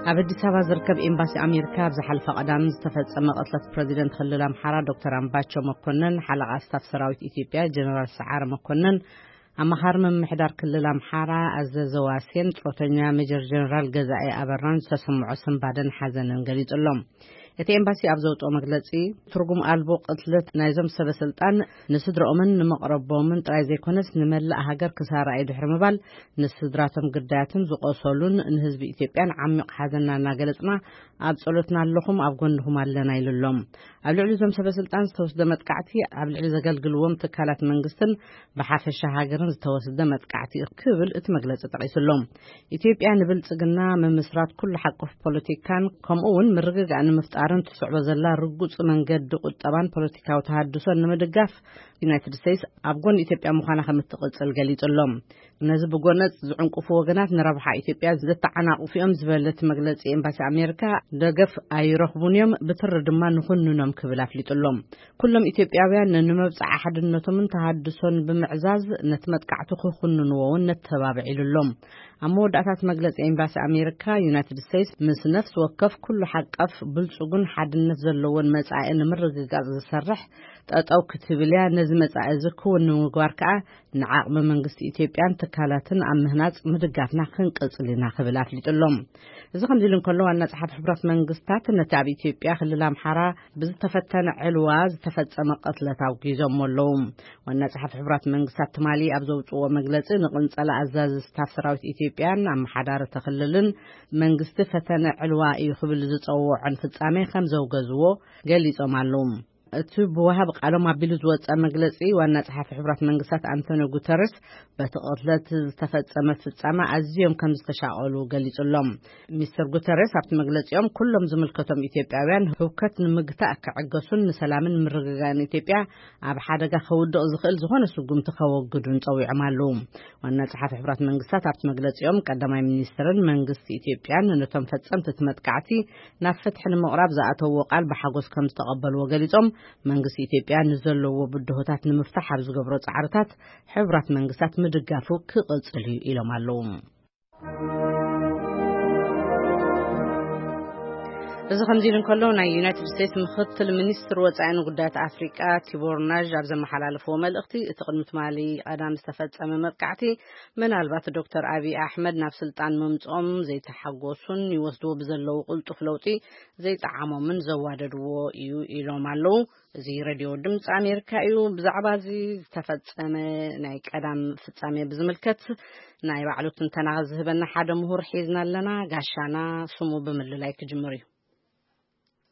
ኣብ ኣዲስ ኣበባ ዝርከብ ኤምባሲ ኣሜሪካ ኣብ ዝሓለፈ ቀዳም ዝተፈጸመ ቅትለት ፕረዚደንት ክልል ኣምሓራ ዶክተር ኣምባቸው መኮነን፣ ሓለቓ ስታፍ ሰራዊት ኢትዮጵያ ጀነራል ሰዓረ መኮነን፣ ኣማኻሪ ምምሕዳር ክልል ኣምሓራ ኣዘዘ ዋሴን፣ ጡረተኛ ሜጀር ጀነራል ገዛኢ ኣበራን ዝተሰምዖ ስንባደን ሓዘንን ገሊጹ ኣሎ። እቲ ኤምባሲ ኣብ ዘውፅኦ መግለፂ፣ ትርጉም ኣልቦ ቅትለት ናይዞም ሰበ ስልጣን ንስድረኦምን ንመቕረቦምን ጥራይ ዘይኮነስ ንመላእ ሃገር ክሳራ እዩ ድሕሪ ምባል፣ ንስድራቶም ግዳያትን ዝቆሰሉን ንህዝቢ ኢትዮጵያን ዓሚቕ ሓዘንና እናገለጽና ኣብ ጸሎትና ኣለኹም፣ ኣብ ጎንኹም ኣለና ኢሉ ኣሎ። ኣብ ልዕሊ እዞም ሰበ ስልጣን ዝተወስደ መጥቃዕቲ ኣብ ልዕሊ ዘገልግልዎም ትካላት መንግስትን ብሓፈሻ ሃገርን ዝተወስደ መጥቃዕቲ ክብል እቲ መግለጺ ጠቒሱ ኣሎ። ኢትዮጵያ ንብልጽግና ምምስራት ኩሉ ሓቆፍ ፖለቲካን ከምኡ እውን ምርግጋእ ንምፍጣር ርን ትስዕቦ ዘላ ርጉጽ መንገዲ ቁጠባን ፖለቲካዊ ተሃድሶን ንምድጋፍ ዩናይትድ ስቴትስ ኣብ ጎኒ ኢትዮጵያ ምዃና ከም እትቕጽል ገሊጹ ኣሎ። ነዚ ብጎነጽ ዝዕንቅፉ ወገናት ንረብሓ ኢትዮጵያ ዘተዓናቕፉ እዮም ዝበለ እቲ መግለጺ፣ ኤምባሲ ኣሜሪካ ደገፍ ኣይረኽቡን እዮም፣ ብትሪ ድማ ንኹንኖም ክብል ኣፍሊጡ ኣሎ። ኩሎም ኢትዮጵያውያን ንመብጽዓ ሓድነቶምን ተሃድሶን ብምዕዛዝ ነቲ መጥቃዕቲ ክኹንንዎ እውን ነተባብዕ ኢሉ ኣሎ። ኣብ መወዳእታት መግለጺ ኤምባሲ ኣሜሪካ፣ ዩናይትድ ስቴትስ ምስ ነፍሲ ወከፍ ኩሉ ሓቀፍ ብልጹግን ሓድነት ዘለዎን መጻኢ ንምርግጋጽ ዝሰርሕ ጠጠው ክትብል እያ። ነዚ መጻኢ እዚ ክውን ንምግባር ከኣ ንዓቕሚ መንግስቲ ኢትዮጵያን ትካላትን ኣብ ምህናጽ ምድጋፍና ክንቅጽል ኢና ክብል ኣፍሊጡ ኣሎ። እዚ ከምዚ ኢሉ እንከሎ፣ ዋና ጸሓፊ ሕቡራት መንግስታት ነቲ ኣብ ኢትዮጵያ ክልል ኣምሓራ ብዝተፈተነ ዕልዋ ዝተፈጸመ ቅትለት ኣውጊዞሞ ኣለዉ። ዋና ጸሓፊ ሕቡራት መንግስታት ትማሊ ኣብ ዘውጽዎ መግለጺ፣ ንቅንጸላ ኣዛዚ ስታፍ ሰራዊት ኢትዮጵያን ኣመሓዳሪ ተክልልን መንግስቲ ፈተነ ዕልዋ እዩ ክብል ዝጸውዖን ፍጻሜ ከም ዘውገዝዎ ገሊጾም ኣለዉ። እቲ ብወሃቢ ቃሎም ኣቢሉ ዝወጸ መግለጺ፣ ዋና ጸሓፊ ሕቡራት መንግስታት ኣንቶኒዮ ጉተረስ በቲ ቅትለት ዝተፈጸመ ፍጻመ ኣዝዮም ከም ዝተሻቐሉ ገሊጹሎም። ሚስተር ጉተረስ ኣብቲ መግለጺኦም፣ ኩሎም ዝምልከቶም ኢትዮጵያውያን ህውከት ንምግታእ ክዕገሱን ንሰላምን ምርግጋእን ኢትዮጵያ ኣብ ሓደጋ ከውድቕ ዝኽእል ዝኾነ ስጉምቲ ከወግዱን ጸዊዖም ኣለዉ። ዋና ጸሓፊ ሕቡራት መንግስታት ኣብቲ መግለጺኦም፣ ቀዳማይ ሚኒስትርን መንግስቲ ኢትዮጵያን ነቶም ፈጸምቲ እቲ መጥቃዕቲ ናብ ፍትሒ ንምቕራብ ዝኣተውዎ ቃል ብሓጎስ ከም ዝተቐበልዎ ገሊጾም፣ መንግስቲ ኢትዮጵያ ንዘለዎ ብድሆታት ንምፍታሕ ኣብ ዝገብሮ ጻዕርታት ሕቡራት መንግስታት ምድጋፉ ክቕጽል እዩ ኢሎም ኣለዉ። እዚ ከምዚ ኢሉ እንከሎ፣ ናይ ዩናይትድ ስቴትስ ምክትል ሚኒስትር ወጻኢን ጉዳያት ኣፍሪቃ ቲቦር ናዥ ኣብ ዘመሓላለፍዎ መልእኽቲ፣ እቲ ቅድሚ ትማሊ ቀዳም ዝተፈጸመ መጥቃዕቲ ምናልባት ዶክተር ኣብይ ኣሕመድ ናብ ስልጣን ምምጽኦም ዘይተሓጎሱን ይወስድዎ ብዘለዉ ቅልጡፍ ለውጢ ዘይጠዓሞምን ዘዋደድዎ እዩ ኢሎም ኣለዉ። እዚ ሬድዮ ድምፂ ኣሜሪካ እዩ። ብዛዕባ እዚ ዝተፈጸመ ናይ ቀዳም ፍጻሜ ብዝምልከት ናይ ባዕሉ ትንተና ዝህበና ሓደ ምሁር ሒዝና ኣለና። ጋሻና ስሙ ብምልላይ ክጅምር እዩ።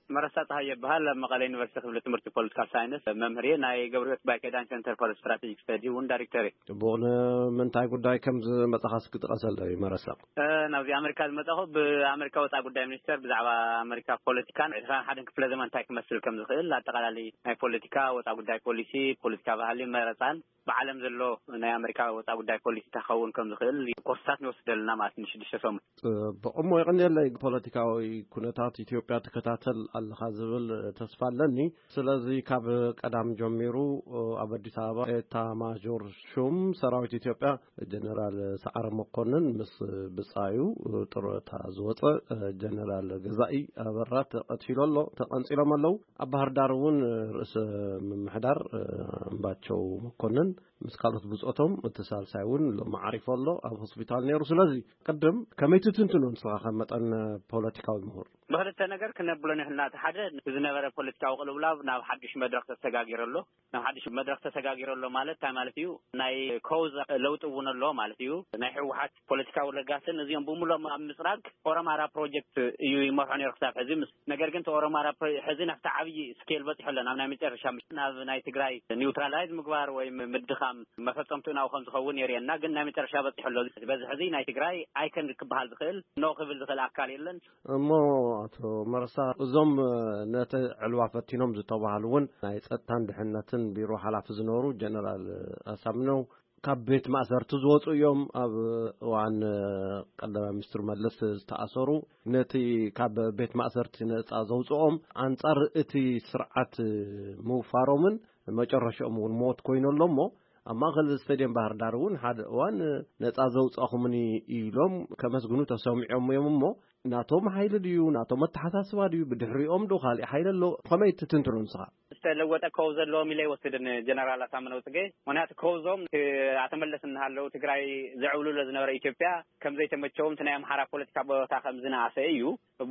መረሳ ፀሃይ ይበሃል። ኣብ መቐለ ዩኒቨርሲቲ ክፍሊ ትምህርቲ ፖለቲካል ሳይንስ መምህር እየ። ናይ ገብረ ህይወት ባይከዳን ሴንተር ፎር ስትራቴጂክ ስተዲ እውን ዳይሬክተር እየ። ጽቡቕ። ንምንታይ ጉዳይ ከም ዝመጻኻ እስኪ ጥቀሰለይ መረሳ። እ፣ ናብዚ ኣሜሪካ ዝመጻኹ ብኣሜሪካ ወጻኢ ጉዳይ ሚኒስቴር ብዛዕባ ኣሜሪካ ፖለቲካን ዕስራን ሓደን ክፍለ ዘመን እንታይ ክመስል ከም ዝኽእል ኣጠቓላሊ ናይ ፖለቲካ፣ ወጻኢ ጉዳይ ፖሊሲ፣ ፖለቲካ ባህሊ፣ መረጻን ብዓለም ዘሎ ናይ ኣሜሪካ ወጻኢ ጉዳይ ፖሊሲ እንታይ ክኸውን ከም ዝኽእል ኮርስታት ንወስድ ኣለና ማለት ንሽዱሽተ ሰሙን። ጽቡቕ። እሞ የቐንየለይ፣ ፖለቲካዊ ኩነታት ኢትዮጵያ ትከታተል ኣለኻ ዝብል ተስፋ ኣለኒ። ስለዚ ካብ ቀዳም ጀሚሩ ኣብ ኣዲስ ኣበባ ኤታ ማዦር ሹም ሰራዊት ኢትዮጵያ ጀነራል ሰዓረ መኮንን ምስ ብጻዩ ጡረታ ዝወጸ ጀነራል ገዛኢ ኣበራ ተቐቲሉ ኣሎ፣ ተቐንጺሎም ኣለዉ። ኣብ ባህር ዳር እውን ርእሰ ምምሕዳር ኣምባቸው መኮንን ምስ ካልኦት ብጾቶም እቲ ሳልሳይ እውን ሎሚ ዓሪፉ ኣሎ፣ ኣብ ሆስፒታል ነይሩ። ስለዚ ቅድም ከመይ ትትንትኖ ንስኻ ከም መጠን ፖለቲካዊ ምሁር? ብክልተ ነገር ክነብሎ ንኽእል ኢና። እቲ ሓደ፣ ዝነበረ ፖለቲካዊ ቅልውላው ናብ ሓድሽ መድረኽ ተሰጋጊሩ ኣሎ። ናብ ሓድሽ መድረኽ ተሰጋጊሩ ኣሎ ማለት እንታይ ማለት እዩ? ናይ ኮዝ ለውጢ እውን ኣሎ ማለት እዩ። ናይ ህወሓት ፖለቲካዊ ለጋስን እዚኦም ብምሎም ኣብ ምፅራግ ኦሮማራ ፕሮጀክት እዩ ይመርሖ ነይሩ ክሳብ ሕዚ። ምስ፣ ነገር ግን እቲ ኦሮማራ ፕሮ-፣ ሕዚ ናብቲ ዓብዪ ስኬል በፂሑ ኣሎ። ናብ ናይ መጨረሻ ምስ-፣ ናብ ናይ ትግራይ ኒውትራላይዝ ምግባር ወይ ም-፣ ምድኻም መፈፀምትኡ ናብኡ ከም ዝኸውን የርእየና። ግን ናይ መጨረሻ በፂሑ ኣሎ። በዚ ሕዚ ናይ ትግራይ ኣይከን ክበሃል ዝኽእል፣ ኖ ክብል ዝኽእል ኣካል የለን። እሞ ኣቶ መረሳ፣ እዞም ነቲ ዕልዋ ፈቲኖም ዝተባህሉ እውን ናይ ጸጥታን ድሕነትን ቢሮ ሓላፊ ዝነበሩ ጀነራል ኣሳምነው ካብ ቤት ማእሰርቲ ዝወጹ እዮም። ኣብ እዋን ቀዳማይ ሚኒስትር መለስ ዝተኣሰሩ፣ ነቲ ካብ ቤት ማእሰርቲ ነጻ ዘውጽኦም ኣንጻር እቲ ስርዓት ምውፋሮምን መጨረሻኦም እውን ሞት ኮይኑ ኣሎ። እሞ ኣብ ማእከል ስቴድየም ባህር ዳር እውን ሓደ እዋን ነጻ ዘውጻኹምኒ ኢሎም ከመስግኑ ተሰሚዖም እዮም። እሞ ናቶም ሓይሊ ድዩ፣ ናቶም ኣተሓሳስባ ድዩ፣ ብድሕሪኦም ዶ ካልእ ሓይሊ ኣሎ? ከመይ ትትንትኖ ንስኻ? ዝተለወጠ ከው ዘለዎም ኢለ ይወስድን ጀነራል ኣሳምነው ጽጌ። ምኽንያቱ ከውዞም እቲ ኣቶ መለስ እናሃለዉ ትግራይ ዘዕብልሎ ዝነበረ ኢትዮጵያ ከም ዘይተመቸዎም፣ እቲ ናይ ኣምሓራ ፖለቲካ ቦታ ከም ዝነኣሰ እዩ።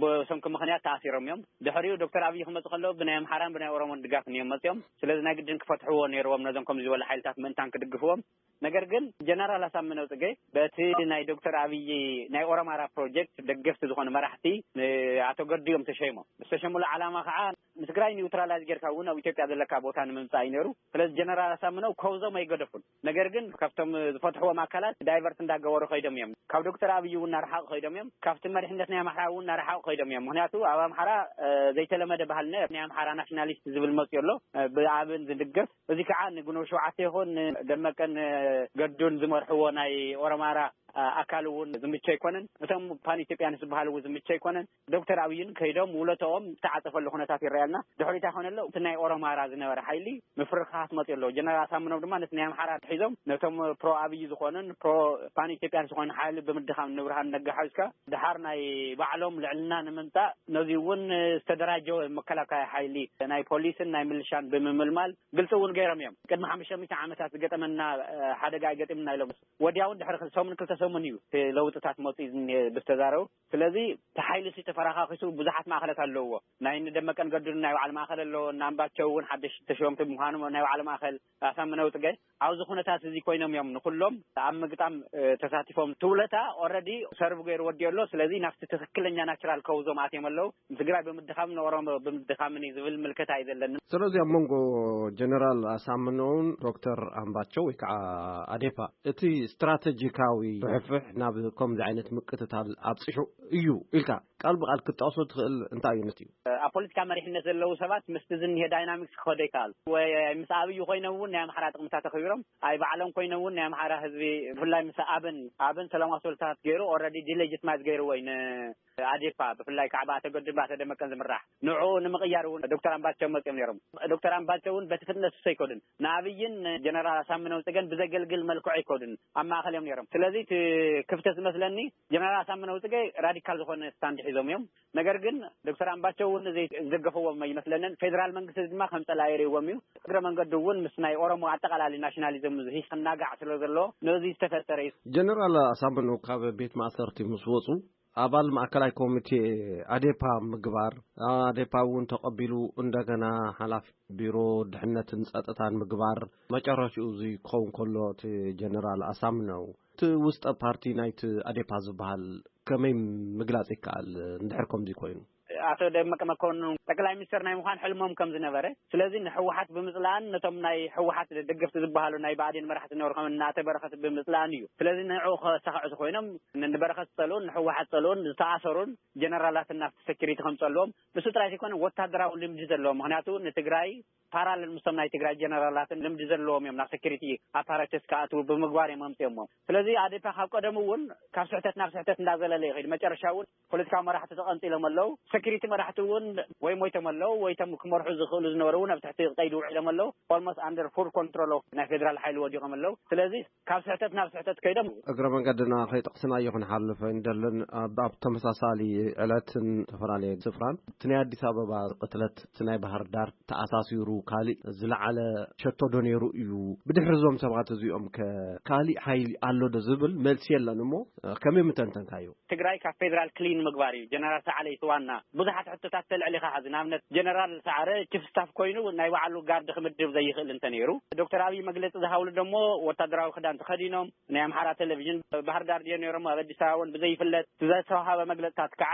ብሰንኪ ምኽንያት ተኣሲሮም እዮም። ድሕሪኡ ዶክተር ኣብይ ክመፁ ከለዉ ብናይ ኣምሓራን ብናይ ኦሮሞን ድጋፍ እዮም መፅዮም። ስለዚ ናይ ግድን ክፈትሕዎ ነይርዎም ነዞም ከምዚ ዝበሉ ሓይልታት ምእንታን ክድግፍዎም። ነገር ግን ጀነራል ኣሳምነው ጽጌ በቲ ናይ ዶክተር ኣብይ ናይ ኦሮማራ ፕሮጀክት ደገፍቲ ዝኾኑ መራሕቲ ንኣቶ ገዱ እዮም ተሸይሞም። ዝተሸሙሉ ዓላማ ከዓ ንትግራይ ኒውትራላይዝ ጌርካ እውን ኣብ ኢትዮጵያ ዘለካ ቦታ ንምምፃእ እዩ ነይሩ። ስለዚ ጀነራል ኣሳምነው ከውዞም ኣይገደፉን። ነገር ግን ካብቶም ዝፈትሕዎም ኣካላት ዳይቨርት እንዳገበሩ ከይዶም እዮም። ካብ ዶክተር ኣብይ እውን እናረሓቑ ከይዶም እዮም። ካብቲ መሪሕነት ናይ ኣምሓራ እውን እናረሓቑ ከይዶም እዮም። ምክንያቱ ኣብ ኣምሓራ ዘይተለመደ ባህልና ናይ ኣምሓራ ናሽናሊስት ዝብል መፅኡ ኣሎ፣ ብኣብን ዝድገፍ። እዚ ከዓ ንግንቦት ሸውዓተ ይኹን ደመቀን ገዱን ዝመርሕዎ ናይ ኦሮማራ ኣካል እውን ዝምቹ ኣይኮነን። እቶም ፓን ኢትዮጵያንስ ዝበሃሉ እውን ዝምቹ ኣይኮነን። ዶክተር ኣብይን ከይዶም ውለተኦም ዝተዓፀፈሉ ኩነታት ይረኣየልና። ድሕሪታ ኮነሎ እቲ ናይ ኦሮማራ ዝነበረ ሓይሊ ምፍርኻት መፅኡ ኣለዎ። ጀነራል ኣሳምነው ድማ ነቲ ናይ ኣምሓራ ሒዞም ነቶም ፕሮ ኣብይ ዝኾኑን ፕሮ ፓን ኢትዮጵያን ዝኾኑ ሓይሊ ብምድኻም ንብርሃን ነጋ ሓዊስካ ድሓር ናይ ባዕሎም ልዕልና ንምምፃእ ነዚ እውን ዝተደራጀወ መከላከያ ሓይሊ ናይ ፖሊስን ናይ ምልሻን ብምምልማል ግልፂ እውን ገይሮም እዮም። ቅድሚ ሓሙሽተ ሚእቲ ዓመታት ዝገጠመና ሓደጋ ኣይገጢምና ኢሎም ወዲያውን ድሕሪ ሰሙን ክልተ ሰሙን እዩ ለውጥታት መፅኡ ብዝተዛረቡ። ስለዚ እቲ ሓይሊ ተፈራካኪሱ ብዙሓት ማእኸላት ኣለውዎ። ናይ ንደመቀን ገዱን ናይ ባዕሉ ማእኸል ኣለዎ። ናምባቸው እውን ሓደሽ ተሸወምቲ ብምዃኑ ናይ ባዕሉ ማእኸል ኣሳምነው ፅገ ኣብዚ ኩነታት እዚ ኮይኖም እዮም ንኩሎም ኣብ ምግጣም ተሳቲፎም። ትውለታ ኦረዲ ሰርቭ ገይሩ ወዲኦ ኣሎ። ስለዚ ናብቲ ትክክለኛ ናቹራል ከውዞም ኣትዮም ኣለዉ። ንትግራይ ብምድኻም ንኦሮሞ ብምድኻምን እዩ ዝብል ምልከታ እዩ ዘለኒ። ስለዚ ኣብ መንጎ ጀነራል ኣሳምነውን ዶክተር ኣምባቸው ወይ ከዓ ኣዴፓ እቲ ስትራቴጂካዊ ፍሕፍሕ ናብ ከምዚ ዓይነት ምቅትታል ኣብፅሑ እዩ ኢልካ ቃል ብቃል ክትጠቕሶ ትኽእል እንታይ እዩ ነቲ? ኣብ ፖለቲካ መሪሕነት ዘለዉ ሰባት ምስቲ ዝኒሄ ዳይናሚክስ ክኸዶ ይከኣል ወይ ምስ ኣብዩ ኮይኖም እውን ናይ ኣምሓራ ጥቕምታት ኣኽቢሮም ኣይ ባዕሎም ኮይኖም እውን ናይ ኣምሓራ ህዝቢ ብፍላይ ምስ ኣብን ኣብን ሰላማዊ ሰልፍታት ገይሩ ኦረዲ ዲሌጅትማይዝ ገይርዎ እዩ ንኣዴፓ ብፍላይ ከዓ ብኣተ ገዱን ብኣተ ደመቀን ዝምራሕ ንዕኡ ንምቕያር እውን ዶክተር ኣምባቸው መፅኦም ነይሮም። ዶክተር ኣምባቸው እውን በቲ ፍጥነት እሱ ኣይከዱን ንኣብይን ጀነራል ኣሳምነው ፅገን ብዘገልግል መልክዑ ኣይከዱን ኣብ ማእኸል እዮም ነይሮም። ስለዚ እቲ ክፍተት ዝመስለኒ ጀነራል ኣሳምነው ፅገ ራዲካል ዝኾነ ስታንድ ሒዞም እዮም። ነገር ግን ዶክተር ኣምባቸው እውን ዝደገፈዎም ኣይመስለንን። ፌደራል መንግስቲ ድማ ከም ፀላኢ ይርእዎም እዩ። እግረ መንገዱ እውን ምስ ናይ ኦሮሞ ኣጠቃላሊ ናሽናሊዝም ዝሂስ ክናጋዕ ስለ ዘሎ ነዚ ዝተፈጠረ እዩ። ጀነራል ኣሳምነው ካብ ቤት ማእሰርቲ ምስ ወፁ ኣባል ማእከላይ ኮሚቴ ኣዴፓ ምግባር ኣዴፓ እውን ተቐቢሉ እንደገና ሓላፊ ቢሮ ድሕነትን ፀጥታን ምግባር መጨረሽኡ እዚ ክኸውን ከሎ እቲ ጀነራል ኣሳምነው እቲ ውስጠ ፓርቲ ናይቲ ኣዴፓ ዝበሃል ከመይ ምግላፅ ይከኣል? እንድሕር ከምዚ ኮይኑ ኣቶ ደመቀ መኮንን ጠቅላይ ሚኒስትር ናይ ምዃን ሕልሞም ከም ዝነበረ ስለዚ ንሕወሓት ብምፅላእን ነቶም ናይ ሕወሓት ደገፍቲ ዝበሃሉ ናይ ብኣዴን መራሕቲ ዝነበሩ ከም እናተ በረኸት ብምፅላእን እዩ። ስለዚ ንዕኡ ከሳኽዑ ኮይኖም ንበረኸት ዝፀልኡን ንሕወሓት ዝፀልኡን ዝተኣሰሩን ጀነራላትን ናብቲ ሰኪሪቲ ከምፀልዎም ንሱ ጥራይ ዘይኮነ ወታደራዊ ልምዲ ዘለዎም ምክንያቱ ንትግራይ ፓራለል ምስቶም ናይ ትግራይ ጀነራላትን ልምዲ ዘለዎም እዮም ናብ ሰኪሪቲ ኣፓራተስ ክኣትዉ ብምግባር እዮም ኣምፅኦሞ። ስለዚ ኣዴፓ ካብ ቀደሙ እውን ካብ ስሕተት ናብ ስሕተት እንዳዘለለ ይኸይድ መጨረሻ እውን ፖለቲካዊ መራሕቲ ተቐንፂሎም ኣለዉ። ሰኪሪቲ መራሕቲ እውን ወይ ሞይቶም ኣለዉ ወይ ቶም ክመርሑ ዝኽእሉ ዝነበሩ እውን ኣብ ትሕቲ ቀይዲ ውዒሎም ኣለዉ። ኦልሞስት ኣንደር ፉል ኮንትሮል ኦፍ ናይ ፌደራል ሓይሊ ወዲቖም ኣለዉ። ስለዚ ካብ ስሕተት ናብ ስሕተት ከይዶም እግረ መንገድና ከይጠቕስናዮ ክንሓልፍ እንደልን ኣብ ተመሳሳሊ ዕለትን ዝተፈላለየ ስፍራን እቲ ናይ ኣዲስ ኣበባ ቅትለት እቲ ናይ ባህር ዳር ተኣሳሲሩ ካሊእ ዝለዓለ ሸቶ ዶ ነይሩ እዩ? ብድሕሪ እዞም ሰባት እዚኦም ከ ካሊእ ሓይሊ ኣሎ ዶ ዝብል መልሲ የለን እሞ ከመይ ምተንተንካዮ? ትግራይ ካብ ፌደራል ክሊን ምግባር እዩ። ጀነራል ሰዓለ ይስዋና ብዙሓት ሕቶታት ተልዕል ኢኻ። ሕዚ ንኣብነት ጀነራል ሰዓረ ቺፍ ስታፍ ኮይኑ ናይ ባዕሉ ጋርድ ክምድብ ዘይኽእል እንተ ነይሩ ዶክተር ኣብይ መግለፂ ዝሃብሉ ደሞ ወታደራዊ ክዳን ተኸዲኖም ናይ ኣምሓራ ቴሌቪዥን ባህር ዳር ድዮ ነይሮም ኣብ ኣዲስ ኣበባ እውን ብዘይፍለጥ ዝተዋሃበ መግለፅታት ከዓ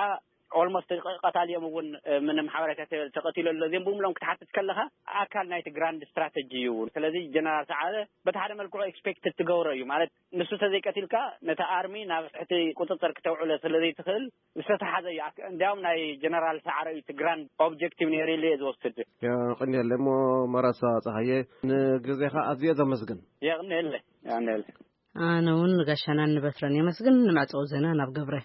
ኦልሞስት ቀታሊኦም እውን ምንም ሓበሬታ ተቐቲሉ ኣሎ። እዚኦም ብምሎም ክትሓትት ከለኻ ኣካል ናይቲ ግራንድ ስትራተጂ እዩ እውን። ስለዚ ጀነራል ሰዓረ በቲ ሓደ መልክዑ ኤክስፔክትድ ትገብሮ እዩ ማለት ንሱ ተዘይቀቲልካ ነቲ ኣርሚ ናብ ትሕቲ ቁፅፅር ክተውዕሎ ስለዘይትኽእል ዝተተሓዘ እዩ። እንዲያውም ናይ ጀነራል ሰዓረ እዩ እቲ ግራንድ ኦብጀክቲቭ ነይሩ ኢለ እየ ዝወስድ። የቕንየለ እሞ መረሳ ፀሃየ ንግዜኻ ኣዝየ ዘመስግን። የቕንየለ የቕንየለ። ኣነ እውን ንጋሻናን ንበትረን የመስግን። ንምዕፀው ዜና ናብ ገብረ።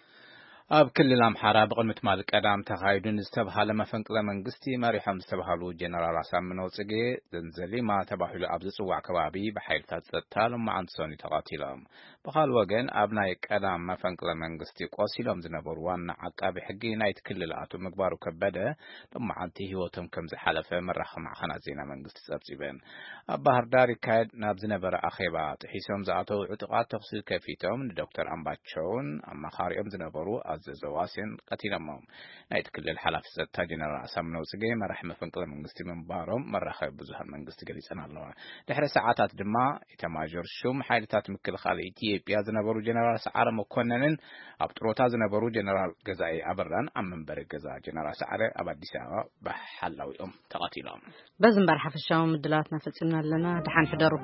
ኣብ ክልል ኣምሓራ ብቕድሚ ትማሊ ቀዳም ተኻይዱ ንዝተብሃለ መፈንቅለ መንግስቲ መሪሖም ዝተብሃሉ ጀነራል ኣሳምነው ጽጌ ዘንዘሊማ ተባሂሉ ኣብ ዝጽዋዕ ከባቢ ብሓይልታት ጸጥታ ሎማዓንቲ ሰኑይ ተቐቲሎም። ብኻልእ ወገን ኣብ ናይ ቀዳም መፈንቅለ መንግስቲ ቆሲሎም ዝነበሩ ዋና ዓቃቢ ሕጊ ናይቲ ክልል ኣቶ ምግባሩ ከበደ ሎማዓንቲ ህይወቶም ከም ዝሓለፈ መራኸቢ ማዕኸናት ዜና መንግስቲ ጸብጺበን። ኣብ ባህር ዳር ይካየድ ናብ ዝነበረ ኣኼባ ጥሒሶም ዝኣተዉ ዕጡቓት ተኹሲ ከፊቶም ንዶክተር ኣምባቸውን ኣማኻሪኦም ዝነበሩ ዘዘዋስዮን ቀቲሎሞም። ናይቲ ክልል ሓላፊ ጸጥታ ጀነራል ኣሳምነው ጽጌ መራሒ መፈንቅለ መንግስቲ ምንባሮም መራኸቢ ብዙሃን መንግስቲ ገሊጸን ኣለዋ። ድሕሪ ሰዓታት ድማ ኢታማዦር ሹም ሓይልታት ምክልኻል ኢትዮጵያ ዝነበሩ ጀነራል ሰዓረ መኮነንን ኣብ ጥሮታ ዝነበሩ ጀነራል ገዛኢ ኣበራን ኣብ መንበሪ ገዛ ጀነራል ሰዓረ ኣብ ኣዲስ ኣበባ ብሓላዊኦም ተቐቲሎም። በዚ እምበር ሓፈሻዊ ምድላዋትና ፈጺምና ኣለና። ደሓን ሕደሩ።